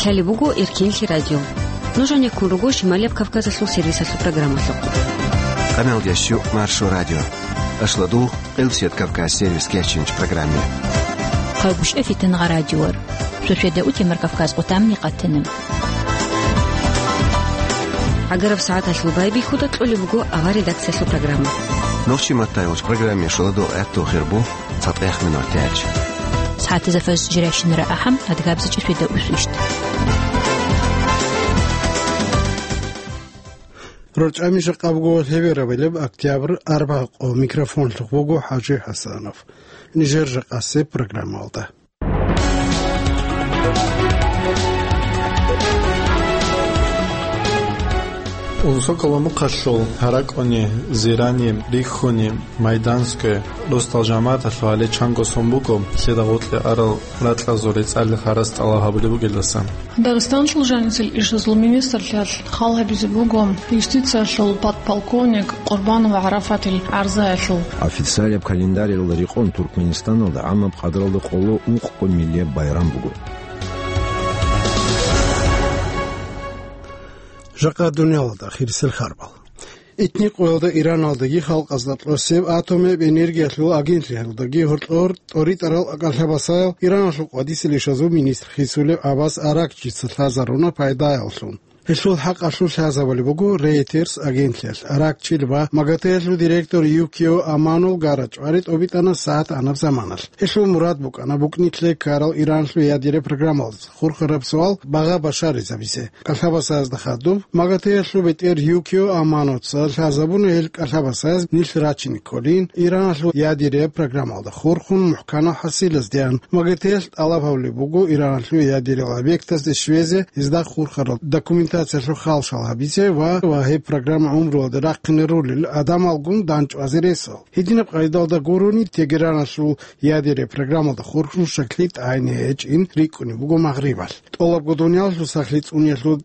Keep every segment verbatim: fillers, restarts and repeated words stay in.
Лъалеб буго Эркенлъи радио. Нуж гьанеккун руго Шималияб Кавказалъул сервисалъул программалъухъ. Къамелдеш щу Маршо радио. Ашладу Къилсият Кавказ сервис кечинч программе. Хъалгушев Фитнагъа радиор. Сосиеда утемар Кавказ къутамни къатана. ГӀагараб сагӀаталъул байбихьуда кьолеб буго авар редакциялъул программа. Нохчи Маттаевич программе шуладо гӀатту хирбу. ЦатӀех минутач. СагӀатазда фаз жирайщинара ахӀам, адгабзачӀи светда усвищ. РорчӀами жакъа буго лъеберабилеб октябрь арбагъ къо, микрофонлъухъ буго ХӀажи ХӀасанов. Нижер жакъасеб программалда. Унсокъала мухъалъул ГьаракӀуни, Зирани, Рихьуни, Майданское, росдал жамагӀаталъул гьале чанго сон буго, лъида гъоркье арал ракьазул рецӀалил гьарац тӀалаб гьабулеб бугелдаса. Дагъистаналъул жанисел ишазул министрлъиялъ хал гьабизе буго юстициялъул подполковник Къурбанов ГӀарафатил гӀарзаялъул. Официалияб календаралда рекъон Туркменистаналда гӀаммаб къадралда къоло ункъго миллияб байрам буго. Жакъа дуниялалда хирисел харбал. Итни къоялда Ираналдаги халкъазда кьосеб атомияб энергиялъул агентлъиялдаги гьоркьор тӀоритӀарал кӀалъабасаял Ираналъул къвадисел ишазул министр хисулев Аббас Аракчица лъазаруна пайдаялъун. Гьелъул хӀакъалъулъ лъазабулеб буго Reuters агентлъиялъ. Аракчил ва МАГАТЭ-ялъул директор Юкио Аманул гара-чӀвари тӀобитӀана сагӀат анаб заманалъ. Гьелъул мурад букӀана букӀнилъе ккарал Ираналъул ядераб программалдаса хурхараб суал багъа башаризабизе. КӀалъабасазда хадуб, МАГАТЭ-ялъул бетӀер Юкио Аманоца лъазабуна гьел кӀалъабасаз нилъ рачине кколин, Ираналъул ядераб программалда хурхун мухӀканал хӀасилаздеян. МАГАТЭ-ялъ тӀалаб гьабулеб буго Ираналъул ядерал объектазде щвезе, гьезда хурхарал документациялъул халшал гьабизе ва, ва гьеб программа гӀумруялде рахъине ролел гӀадамалгун дандчӀвазе ресал. Гьединаб къайдалда гурони, Тегераналъул ядераб программалда хурхун щаклъи тӀагӀине гьечӀин рикӀкӀунеб буго Магърибалъ. ТӀолабго дуниялалъул сахлъи цӀуниялъул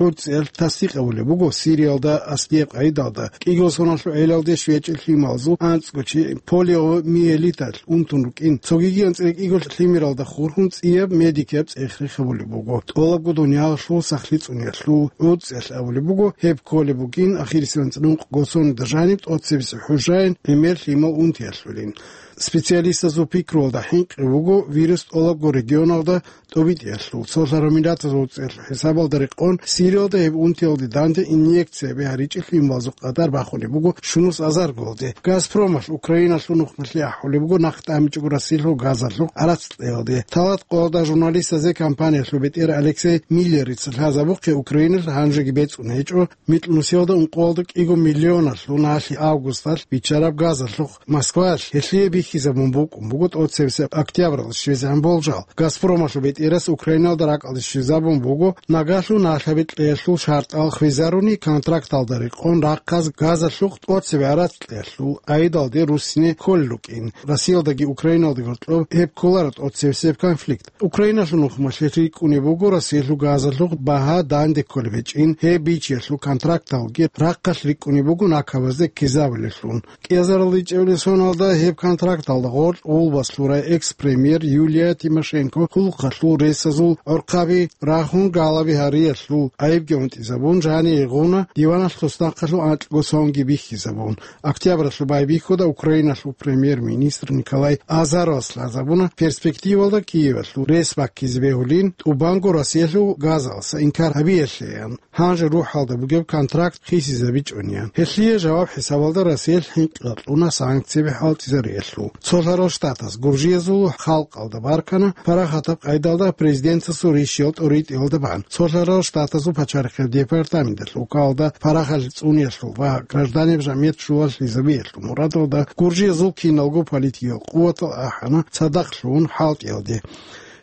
гӀуцӀиялъ тасдикъ гьабулеб буго Сириялда аслияб къайдалда кӀиго соналъул гӀелалде щвечӀел лъималазул анцӀго чи полиомиелиталъ унтун рукӀин, цогиги анцӀила кӀиго лъимералда хурхун цӀияб медикияб цӀех-рех гьабулеб буго. ТӀолабго дуниялалъул сахлъи цӀуниялъул гӀуцӀиялъ абулеб буго, гьеб кколеб букӀин ахирисеб анцӀила ункъго соналда жаниб тӀоцебесеб хӀужаялъ гӀемер лъимал унтиялъулин. Специалистазул пикруялда хӀинкъи буго, вирус тӀолабго регионалда тӀобитӀиялъул, Цолъараб Миллатазул ГӀуцӀиялъул хӀисабалда рекъон, Сириялда гьеб унтиялде данде инъекция бигьаричӀел лъималазул къадар бахунеб буго щунус азаргоялде. Газпромалъ Украиналъул нухмалъе ахӀулеб буго нахъ тӀамичӀого Россиялъул газалъухъ гӀарац кьеялде. Талат къоялда журналистазе компаниялъул бетӀер Алексей Миллерица лъазабухъе Украиналъ гьанжеги бецӀун гьечӀо, микьнусиялда ункъоялда кӀиго миллионалъул налъи августалъ биччараб газалъухъ Москваялъ гьелъие бихьизабун букӀун буго тӀоцебесеб октябралда щвезегӀан болжал. Газпромалъул бетӀерас Украиналда ракӀалде щвезабун буго, нагагьлъун налъаби кьеялъул шартӀал хвезаруни, контракталда рекъон рахъаз газалъухъ тӀоцебе гӀарац кьеялъул гӀайдалде руссине кколел рукӀин. Россиялдаги Украиналдаги гьоркьоб гьеб кколаро тӀоцебесеб конфликт. Украиналъул нухмалъе рикӀкӀунеб буго Россиялъул газалъухъ багьа данде кколеб гьечӀин, гьеб бичиялъул контракталги рахъалъ рикӀкӀунеб буго накабазде ккезабулеллъун. КӀиазарал ричӀебилеб соналда гьеб контракталда гъоркь гъулбас лъурай экс-премьер Юлия Тимошенко хъулухъалъул ресазул гӀорхъаби рагьун, галаби гьариялъул гӀайибги гьунтӀизабун, жани гъуна диваналъ туснахъалъул анкьго сонги бихьизабун. Октябралъул байбихьуда Украиналъул премьер-министр Николай Азаровас лъазабуна перспективалда Киевалъул рес баккизе бегьулин, тӀубанго Россиялъул газалъа инкар гьабиялъеян, гьанже рухӀалда бугеб контракт хисизабичӀониан. Гьелъие жаваб хӀисабалда Россиялъ хӀинкъи кьуна санкцияби хӀалтӀизариялъул. Цолъарал Штатаз гуржиязул халкъалда баркана парахатаб къайдалда президентасул ришиял тӀоритӀиялда бан. Цолъарал Штатазул пачарихъеб департаменталъ вукалда парахат цӀуниялъул ва гражданиял жамият щулалъизабиялъул мурадалда гуржиязул киналго политикиял къуватал ахӀана цадахълъун хӀалтӀиялде.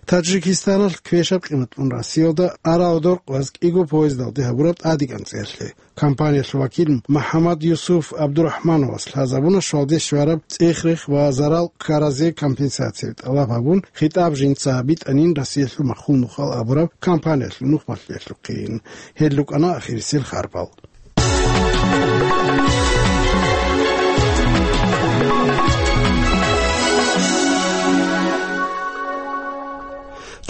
Таджикистаналъ квешаб къиматлъун Россиялда арал доркъваз кӀиго поездалде гьабураб тӀадегӀан цӀеялъе. Компаниялъул вакил МухӀаммад Юсуф ГӀабдурахӀмановас лъазабуна щвалде щвараб цӀех-рех ва зарал ккаразе компенсацияби тӀалаб гьабун, хитӀаб жинца битӀанин Россиялъул Махьул Нухал абураб компаниялъул нухмалъиялъухъин. Гьел рукӀана ахирисел харбал.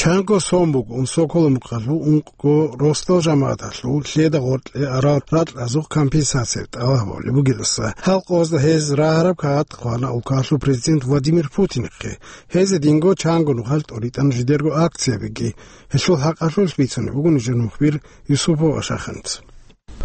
Чанго сон буго Унсоколо мухъалъул ункъго росдал жамагӀаталъул лъеда гъоркье арал ракьазухъ компенсация тӀалаб гьабулеб бугелдаса. Гьал къоялда гьез рагьараб кагъат хъвана улкалъул президент Владимир Путинихъе. Гьезие динго чанго нухалъ тӀоритӀана жидерго акциябиги. Гьелъул хӀакъалъулъ бицунеб буго нижер мухбир Юсупов Ашаханц.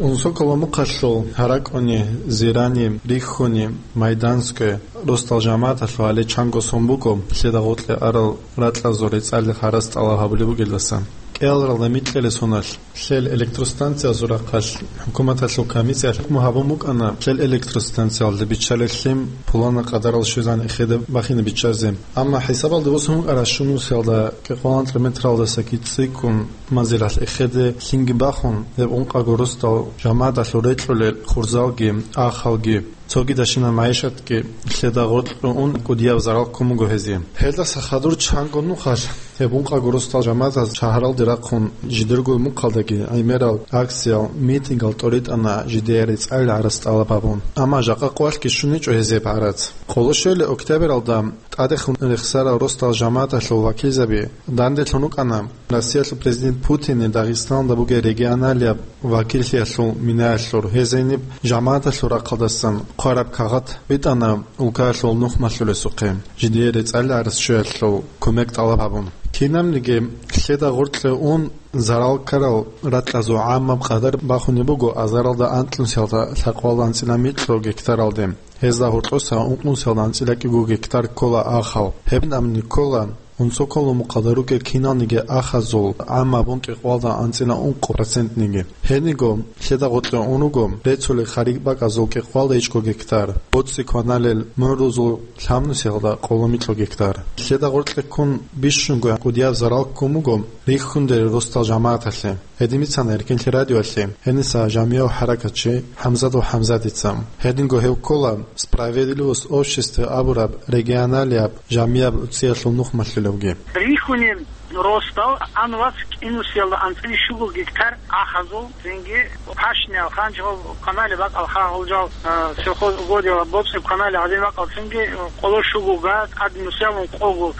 Унсоколо мухъалъул ГьаракӀуни, Зирани, Рихьуни, Майданское росдал жамагӀаталъул гьале чанго сон буго лъеда гъоркье арал ракьазул рецӀалил гӀарац тӀалаб гьабулеб бугелдаса. КӀиялралда микьилел соналъ лъел электростанциязул рахъалъ хӀукуматалъул комиссиялъ хӀукму гьабун букӀана лъел электростанциялда биччалел лъим пуланаб къадарал щвезегӀан эхеде бахине биччазе. Амма хӀисабалде босун букӀараб щунусиялда кӀикъоялда метралдаса кицӀикӀкӀун манзилалъ эхеде лъимги бахун, гьеб ункъаго росдал жамагӀаталъул рекьулел хурзалги, ахалги, цогидабщинаб магӀишатги лъеда гъоркье ун кӀудияб зарал ккун буго гьезие. Гьелдаса хадур чанго нухалъ гьеб ункъаго росдал жамагӀатаз шагьаралде рахъун жидерго мухъалдаги гӀемерал акциял, митингал тӀоритӀана жидее рецӀалил гӀарац тӀалаб гьабун. Амма жакъа къоялъги щун гьечӀо гьезие гӀарац. Къоло щуабилеб октябралда тӀадехун рехсарал росдал жамагӀаталъул вакилзаби данделъун рукӀана Россиялъул президент Путине Дагъистаналда бугеб регионалияб вакиллъиялъул минаялъур. Гьез гьениб жамагӀаталъул рахъалдасан хъвараб кагъат битӀана улкаялъул нухмалъулесухъе, жидее рецӀалил гӀарац щвеялъул кумек тӀалаб гьабун. Кинабниги лъеда гъоркье ун зарал ккарал ракьазул гӀаммаб къадар бахунеб буго азаралда анкьнусиялда лъабкъоялда анцӀила микьго гектаралде. Гьезда гьоркьоса ункънусиялда анцӀила кӀиго гектар ккола ахал. Гьеб амни ккола Унсоколо мухъалда ругел киналниги ахазул гӀаммаб ун кӀикъоялда анцӀила ункъо процентниги. Гьединго лъеда гъоркье ун руго реццулел хариб бакӀазул кӀикъоялда ичӀго гектар, боцӀи кваналел мугӀрузул лъабнусиялда къоло микьго гектар. Лъеда гъоркье ккун бищунго кӀудияб зарал ккун буго Рихьундерил росдал жамагӀаталъе. Гьедин бицана Эркенлъи радиоялъе гьениса жамигӀав хӀаракатчи ХӀамзатов ХӀамзатица. Гьединго гьев ккола «Справедливость общества» абураб регионалияб жамияб уцӀиялъул нухмалъулевги. Рихьунил росдал ан вас кӀинусиялда анцӀила щуго гектар ахазул, цинги пашниял ханчгъал канали бакӀал хагьулжал, а, сельхоз угодияла боцӀи канали гӀадин бакӀал, цинги къоло щуго га, тӀад нусиялун къого,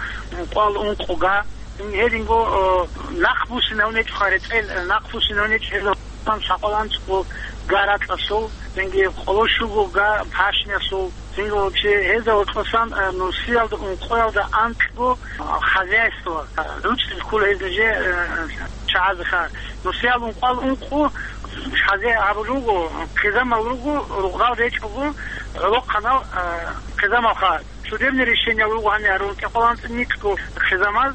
къвал ункъо га. Гьединго, о, нахъбуссинавнечӀо рецӀел, нахъбуссинавнечӀо гьезда сакъаланцӀго га ракьасул, цинги къоло щуго га пашниясул, цинги вообще гьезда гьоркьосан, э, нусиялда ункъоялда анкьго, а, хозяйство, а, руцӀцӀил ккола гьез нуже, э, чагӀазеха. Нусиял ункъоял ункъо хозяй гьабулел руго, хъизамал руго, рукъзал речӀого, гӀолохъанал, э, хъизамалха. Судебный решение руго гьанир гьарун кӀикъоялда анцӀила микьго хъизамаз,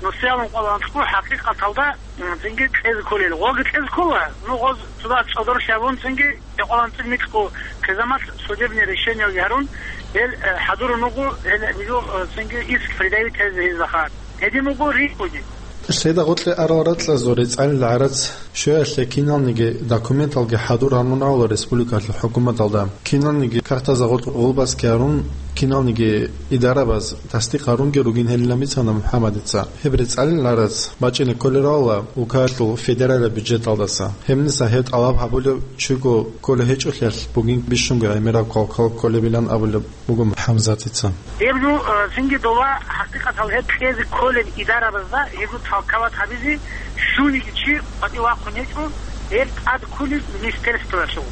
нусиялда ункъоялда анкьго хӀакъикъаталда, м, цинги кьезе кколел. Гъоги кьезе ккола, ну, гъоз цо дагь цӀодорлъи гьабун, цинги кӀикъоялда анцӀила микьго хъизамалъ судебный решение гьарун, гьел, э, хӀадурун руго, гьел, э, цинги иск предъявить гьезе гьезда хадуб. Гьедин буго рихьуни. Лъеда гъоркье арал ракьазул рецӀалил гӀарац щвеялъе киналниги документалги хӀадур гьарун гьавула республикалъул хӀукуматалда. Киналниги картазда гъоркь гъолбаски гьарун, киналниги идарабаз тасдикъ гьарунги ругин гьелилан бицана МухӀаммадица. Гьеб рецӀалил гӀарац бачӀине кколел равала улкаялъул федералияб бюджеталдаса. Гьебниса гьеб тӀалаб гьабулев чиго кколев гьечӀолъиялъ бугин бищунго гӀемераб квалквал кколебилан абулеб буго ХӀамзатица. Гьеб жо, э, цинги дола хӀакъикъатал гьеб кьезе кколеб идарабазда гьеб жо толковать гьабизе щуниги чи къватӀив вахъун гьечӀо, гьеб тӀад кколеб министерствоялъул.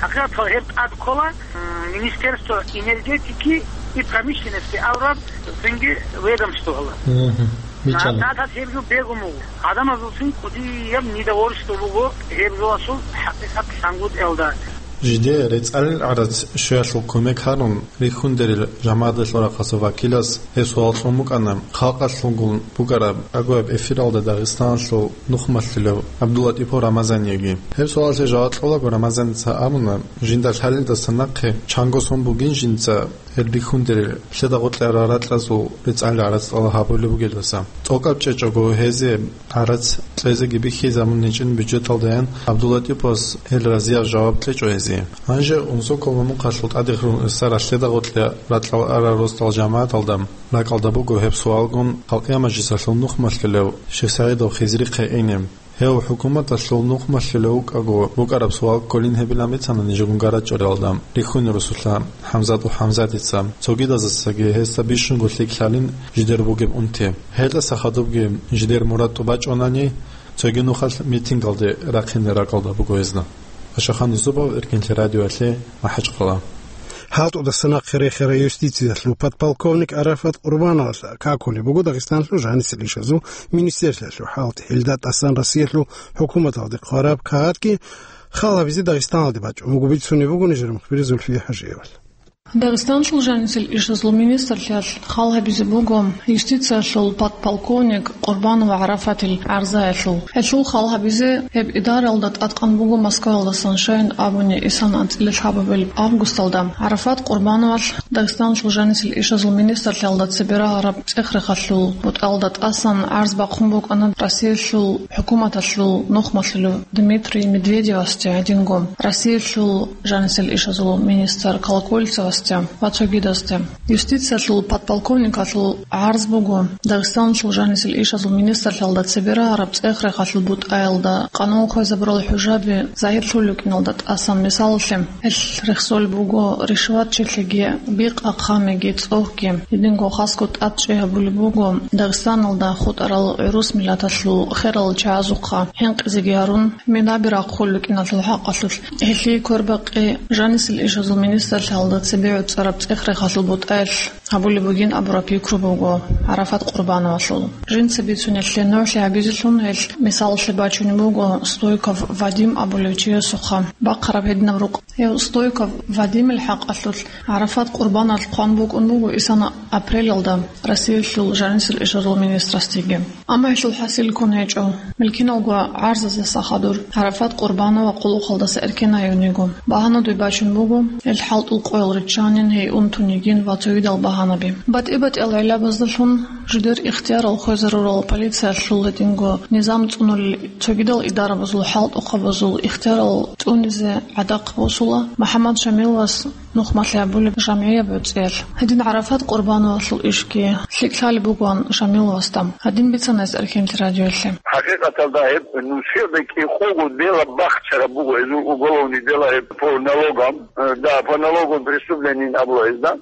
ХӀакъикъатал гьеб тӀад ккола, м, Министерство энергетики и промышленности абураб цинги ведомствоялъ. Мгм. Биччана. ГьатӀат гьеб жо бегун буго. Гьадамазулцин кӀудияб недовольство буго гьеб жоялъул хӀакъикъат лъангутӀиялда. Жидее рецӀалил гӀарац щвеялъул кумек гьарун, рихьундерил жамагӀаталъул рахъалъул вакилас гьеб суал кьун букӀана халкъалъулгун букӀараб агояб эфиралда Дагъистаналъул нухмалъулев ГӀабдуллатӀипов Рамазаниеги. Гьеб суалалъе жаваб кьолаго Рамазаница абуна, жинда лъалелдаса нахъе чанго сон бугин жинца гьел рихьундерил лъеда гъоркье арал ракьазул рецӀалил гӀарац тӀалаб гьабулеб бугелдаса. ТӀокӀаб чӀечӀого гьезие гӀарац кьезеги бихьизабун гьечӀин бюджеталдаян ГӀабдуллатӀиповас гьел разияб жаваб кьечӀо гьезие. Гьанже Унсоколо мухъалъул тӀадехун рехсарал лъеда гъоркье ракьал арал росдал жамагӀаталда ракӀалда буго гьеб суалгун халкъиял мажлисалъул нухмалъулев Шихсагьидов Хизрихъе ине. Гьев хӀукуматалъул нухмалъулев вукӀаго букӀараб суал кколин гьебилан бицана нижегун гарачӀориялда рихьуни русулъа ХӀамзатов ХӀамзатица. Цогидазасаги гьесда бищунго лъикӀлъалин жидер бугеб унти. Гьелдаса хадубги жидер мурад тӀубачӀунани, цоги нухалъ митингалде рахъине ракӀалда буго гьезда. Ашахан Юсупов, Эркенлъи радиоялъе, МахӀачхъала. ХӀалтӀудаса нахъе рехарай юстициялъул подполковник Арафат Къурбановалъ какулеб буго Дагъистаналъул жанисел ишазул министрлъиялъул хӀалтӀи. Гьелда тӀасан Россиялъул хӀукуматалде хъвараб кагъатги хал гьабизе Дагъистаналде бачӀун буго, бицунеб буго нижер мухбир Зульфия ХӀажиевалъ. Дагъистаналъул жанисел ишазул министрлъиялъ хал гьабизе буго юстициялъул подполковник Къурбанова Арафатил гӀарзаялъул. Гьелъул хал гьабизе гьеб идаралда тӀадкъан буго Москваялдасан, щайин абуни, исан анцӀила лъабабилеб августалда. Арафат Къурбановалъ Дагъистаналъул жанисел ишазул министрлъиялда цебе рагӀараб цӀех-рехалъул бутӀаялда тӀасан гӀарз бахъун букӀана Россиялъул хӀукуматалъул нухмалъулев Дмитрий Медведевасде гьединго, Россиялъул жанисел ишазул министр Колокольцевасде ва цогидазде. Юстициялъул подполковникалъул гӀарз буго Дагъистаналъул жанисел ишазул министрлъиялда цебе рагӀараб цӀех-рехалъул бутӀаялда къанун хвезабурал хӀужаби загьирлъулел рукӀиналда тӀасан. Мисалалъе, гьелъ рехсолеб буго ришватчилъиги, бикъа-хъамиги, цӀогьги. Гьединго хасго тӀад чӀей гьабулеб буго Дагъистаналда хутӀарал гӀурус миллаталъул херал чагӀазухъа хӀинкъизеги гьарун, минаби рахъулел рукӀиналъул хӀакъалъулъ. Гьелъие квербакъи жанисел ишазул министрлъиялда цебе гӀуцӀараб цӀех-рехалъул бутӀаялъ гьабулеб бугин абураб пикру буго Арафат Къурбановалъул. Жинца бицунелъе нугӀлъи гьабизелъун гьелъ мисалалъе бачунеб буго Стойков Вадим абулев чиясухъа бахъараб гьединаб рукъ. Гьев Стойков Вадимил хӀакъалъулъ Арафат Къурбановалъ хъван букӀун буго исан апрелалда Россиялъул жанисел ишазул министрасдеги. Амма гьелъул хӀасил ккун гьечӀо. Милкиналго гӀарзазаса хадур Арафат Къурбанова къулухъалдаса эркенайун йиго. Багьанадуй бачун буго, гьел хӀалтӀул къоял риччанин, гьей унтун йигин ва цогидал багьанаби. БатӀи-батӀиял гӀиллабаздалъун жидер ихтиярал хвезарурал полициялъул гьединго низам цӀунулел цогидал идарабазул, хӀалтӀухъабазул ихтиярал цӀунизе гӀадахъ босула МухӀаммад Шамиловас нухмалъи гьабулеб жамгӀияб гӀуцӀиялъ. Гьедин Арафат Къурбановалъул ишги лъикӀлъалеб бугоан Шамиловасда. Гьадин бицана гьес Эркенлъи радиоялъе. ХӀакъикъаталда гьеб нусиялда кӀикъого дела бахчараб буго, гьезул уголовный дела гьеб по налогам, э, да, по налоговым преступлениям абула гьезда.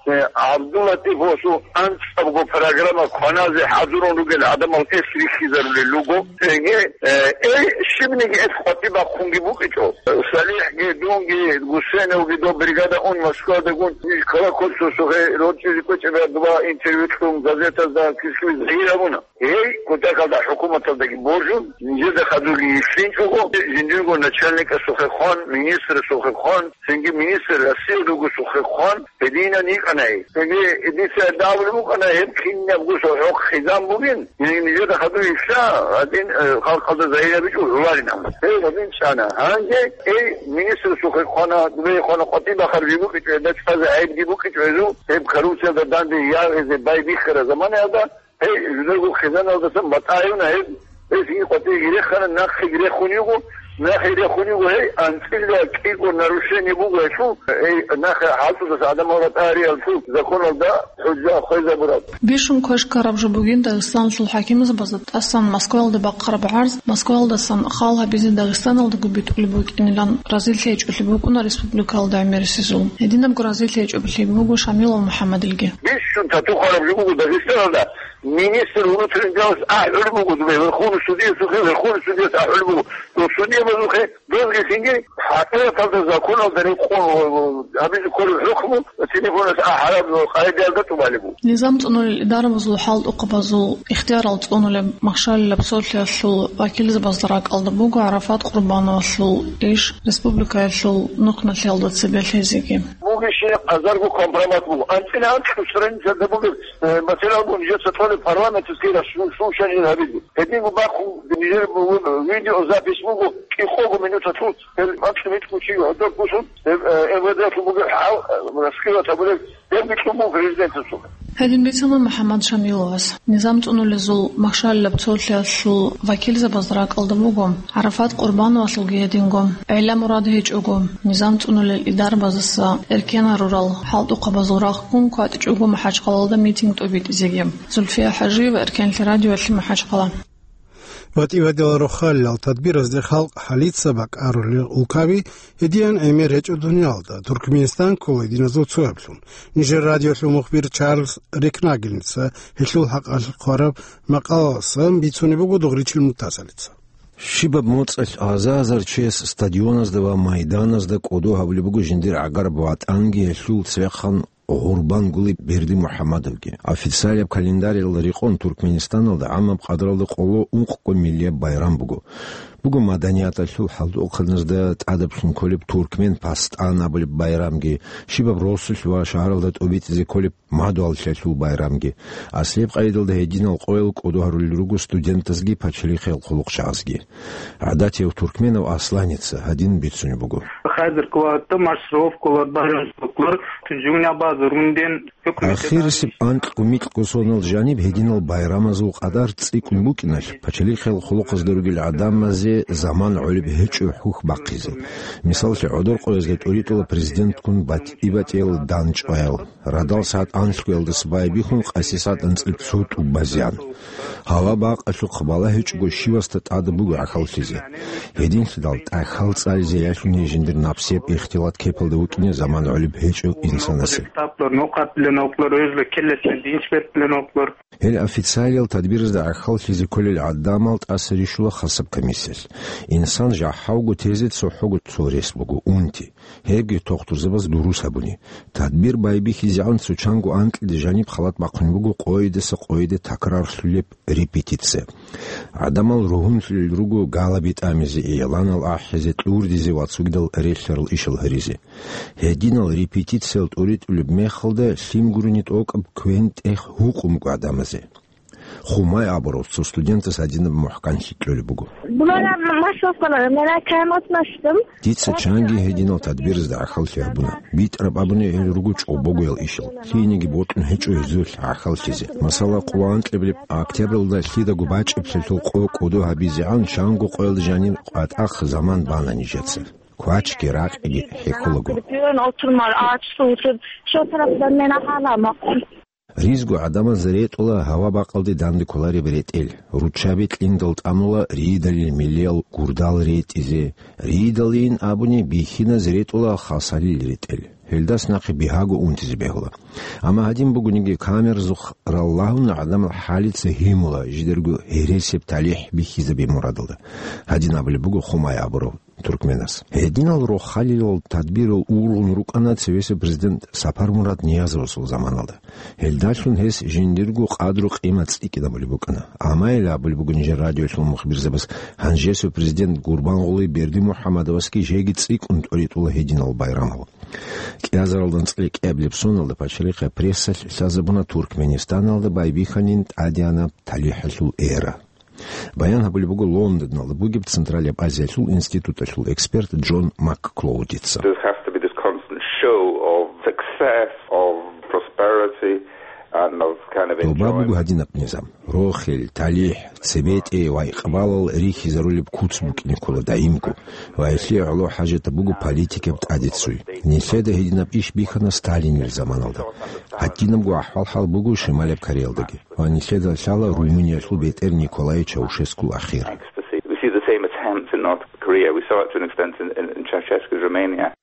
Э, ГӀабдуллатӀифовасул анцӀабго программа кваназе хӀадурун ругел гӀадамал эс рихьизарулел руго. Цинги, э, эй, щибниги эс къватӀиб бахъунги букӀичӀо. СалихӀги, дунги, Гусейновги доб бригада ун Москвадаги ун, ил Колокольцевасухъе рорчӀизе кӀвечӀеб два интервью кьун газетазда килъузе загьир гьабуна. Гьей, кутакалда хӀукуматалдаги божун, нижеда хадуги йишлъинчӀого, жиндирго начальникасухъе хъван, министрасухъе хъван, цинги министр Россия ругосухъе хъван, гьединан йикӀана гьей. Цинги дица абулеб букӀана, гьеб кинабго цо хӀокъ хъизан бугин, гьей нижеда хадур йишлъа, гьадин, э, халкъалда загьир гьабичӀо гӀоларин абун. Гьей гьадин чӀана. Гьанже, эй, министрасухъе хъвана, дубей хъвана, къватӀиб бахъарабги букӀичӀо, гьелда чӀвазе гӀайибги букӀичӀо гьезул, гьеб коррупциялда данде ягъизе байбихьара заманаялда, Гьей, жидерго хъизаналдасан батӀа гьавна гьеб, гьес гьикъватӀиги гирехана, нахъеги рехун йиго, нахъе рехун йиго, гьей, анцӀила кӀикъо нарушение буго гьелъул, гьей, нахъе хӀалтӀудаса гӀадамал ратӀа гьариялъул законалда хӀужа хвезабураб. Бищун квеш ккараб жо бугин Дагъистаналъул хӀакимзабазда тӀасан Москваялда бахъараб гӀарз, Москваялдасан хал гьабизе Дагъистаналдаго битӀулеб букӀинилан разилъи гьечӀолъи букӀуна республикалда гӀемерисезул. Гьединабго разилъи гьечӀолъи буго Шамилов МухӀаммадилги. Бищун тату хвараб жо буго Дагъистаналда. Министр внутренних делас ахӀулеб буго, дубе, Верховный судьясухъе, Верховный судьяс ахӀулеб буго, дов судьябазухъе, дозги цинги хӀакъикъаталда законалда рекъон гьабизе кколеб хӀукму телефонас ахӀараб къагӀидаялда тӀубалеб буго. Низам цӀунулел идарабазул хӀалтӀухъабазул ихтиярал цӀунулеб махщалилаб цолъиялъул вакилзабазда ракӀалда буго ГӀарафат Къурбановалъул иш республикаялъул нухмалъиялда цебе лъезеги. Бугищи азарго компромат буго. АнцӀила анцӀго страницада бугеб, э, материал буго нижеца толеб парламенталъ ккела су-, слушание гьабизе. Гьединго бахъун нижер бу-, видеозапись буго, кӀикъого минуталъул, гьел анцӀила микьго чи гьодор бусун, гьеб, э, МВД-лъун бугеб хӀал, э, раскрывать гьабулеб, гьеб микьун буго президентасул. Гьедин бицана МухӀаммад Шамиловас. Низам цӀунулезул махщалилаб цолъиялъул вакилзабазда ракӀалда буго, ГӀарафат Къурбановалъулги гьединго, гӀелла мурад гьечӀого, низам цӀунулел идарабазаса эркен гьарурал хӀалтӀухъабазул рахъгун кватӀичӀого МахӀачхъалалда митинг тӀобитӀизеги. Зульфия ХӀажиева, Эркенлъи радиоялъе, МахӀачхъала. БатӀи-батӀиял рохалилал тадбиразде халкъ хӀалица бакӀарулел улкаби, гьединан гӀемер гьечӀо дуниялалда, Туркменистан ккола гьединазул цояблъун. Нижер радиолъул мухбир Чарльз Рекнагельница гьелъул хӀакъалъулъ хъвараб макъалаялдасан бицунеб буго Дугъричил Муртазалица. Щибаб моцӀалъ аза-азар чияс стадионазда ва майданазда кӀодо гьабулеб буго жиндир гӀагараб ватӀанги гьелъул цевехъан гъурбан гулеб Бердимухьамадовги. Официалияб календаралда рекъон Туркменистаналда гӀамаб къадралда къоло ункъго миллияб байрам буго. Буго маданияталъул хӀалтӀухъаназда тӀадаблъун кколеб туркмен пастан абулеб байрамги, щибаб росулъ ва шагьаралда тӀобитӀизе кколеб мадугьаллъиялъул байрамги. Аслияб къайдалда гьединал къоял кӀодо гьарулел руго студентазги пачалихъиял хъулухъчагӀазги. ГӀадатияв туркменав Асланица гьадин бицунеб буго. Хадирги вагӀда маршировкалар, байрамчилъулар, тужуня база рунден. Ахирисеб анкьго-микьго сонал жаниб гьединал байрамазул къадар цӀикӀкӀун букӀиналъ, пачалихъиял хъулухъазда ругел гӀадамазе заман гӀолеб гьечӀо хӀухь бахъизе. Мисаллъи, гӀодор къоязда тӀоритӀула президентккун батӀи-батӀиял данчӀваял. Радал сагӀат анлъгоялдаса байбихьун къаси сагӀат анцӀил цо тӀубазеян. Гьава бакъалъухъ балагьичӀого щивасда тӀада буго гӀахьаллъизе. Гьединлъидал тӀахьал цӀализе ялъуни жиндир напсияб ихтилат кепалда вукӀине заман гӀолеб гьечӀо инсанасе. Гьел официалиял тадбиразда гӀахьаллъизе кколел гӀадамал тӀаса рищула хасаб комиссиялъ. Инсан жахӀалго тезе цохӀого цо рес буго, унти. Гьебги тухтурзабаз дурус гьабуни. Тадбир байбихьизегӀан цо чанго анкьида жаниб халат бахъун буго къойидаса къойида такрарлъулеб репетиция. ГӀадамал ругьунлъулел руго галаби тӀамизе, игӀланал ахӀизе, кьурдизе ва цогидал релълъарал ишал гьаризе. Гьединал репетициял тӀоритӀулеб мехалда лъим гурони тӀокӀаб квен-тӀех гьукъун буго гӀадамазе. Хумай абурав цо студентас гьадинаб мухӀканлъи кьолеб буго. Дица чанги гьединал тадбиразда гӀахьаллъи гьабуна. БитӀараб абуни гьел руго чӀобогоял ишал. Лъиениги бокьун гьечӀо гьезулъ гӀахьаллъизе. Масала, къо анкьабилеб октябралда лъидаго бачӀиблъиялъул къо кӀодо гьабизегӀан чанго къоялда жанир къватӀахъ заман бана нижеца. Квачги ракьги хӀехьолаго. Ризго гӀадамаз ретӀула гьава бакъалде данде кколареб ретӀел, руччаби кьиндал тӀамула ридалил миллиял гурдал ретӀизе, ридалин абуни бихьиназ ретӀула хасалил ретӀел. Гьелдас нахъе бигьаго унтизе бегьула. Амма гьадин бугониги камеразухъ раллагьун гӀадамал хӀалица гьимула жидерго гьересияб талихӀ бихьизабе мурадалда. Гьадин абулеб буго Хумай абурав туркменас. Гьединал рохалилал тадбирал ургъун рукӀана цевесев президент Сапармурад Ниязовасул заманалда. Гьелдалъун гьес жиндирго къадру-къимат цӀикӀкӀинабулеб букӀана. Амма гьел абулеб буго нижер радиоялъул мухбирзабаз, гьанжесев президент Гурбангъули Бердимухьамадовасги жеги цӀикӀкӀун тӀоритӀула гьединал байрамал. КӀиазаралда анцӀила кӀиабилеб соналда пачалихъе прессалъ лъазабуна Туркменистаналда байбихьанин тӀадегӀанаб талихӀалъул эра. Баян гьабулеб буго Лондоналда бугеб Централияб Азиялъул институталъул эксперт Джон Макклоудица. There has to be this constant show of success, of prosperity, and of kind of Доба буго enjoyment. Гьадинаб низам. Рохел, талихӀ, цебетӀе ва икъбалал рихьизарулеб куц букӀине ккола даимго, ва гьелъие гӀоло хӀажатаб буго политикаб тӀадеццуй. Нилъеда гьединаб иш бихьана Сталинил заманалда. Гьадинабго ахӀвал-хӀал буго Шималияб Кореялдаги. Ва нилъеда лъала Румыниялъул бетӀер Николай Чаушескул ахир. We see the same attempts in North Korea. We saw it to an extent in, in, in Ceausescu's Romania.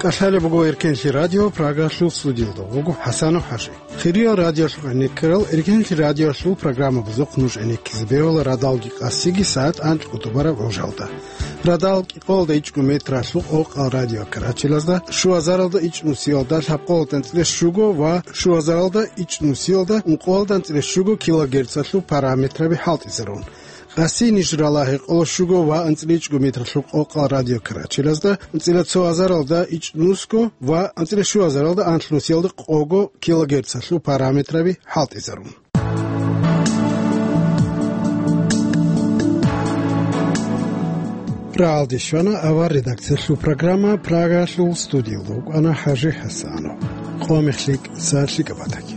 КӀалъалеб буго Эркенлъи радио, Прагалъул студиялда вуго ХӀасанов ХӀажи. Хириял радиолъухъ гӀенеккарал, Эркенлъи радиоялъул программабазухъ нуж гӀенеккизе бегьула радалги къасиги сагӀат анкьго тӀубараб гӀужалда. Радал кӀикъоялда ичӀго метралъул къокъал радиокарачелазда, щуазаралда ичӀнусиялда лъабкъоялда анцӀила щуго ва щуазаралда ичӀнусиялда ункъоялда анцӀила щуго килогерцалъул параметраби хӀалтӀизарун. Къаси ниж рала гьекъоло щуго ва анцӀила ичӀго метралъул къокъал радиокарачелазда, анцӀила цо азаралда ичӀнусго ва анцӀила щуазаралда анлънусиялда къого килогерцалъул параметраби хӀалтӀизарун. Рагьалде щвана авар редакциялъул программа, Прагалъул студиялда вукӀана ХӀажи ХӀасанов. Къо мех лъикӀ, сагӀат лъикӀаб батаги.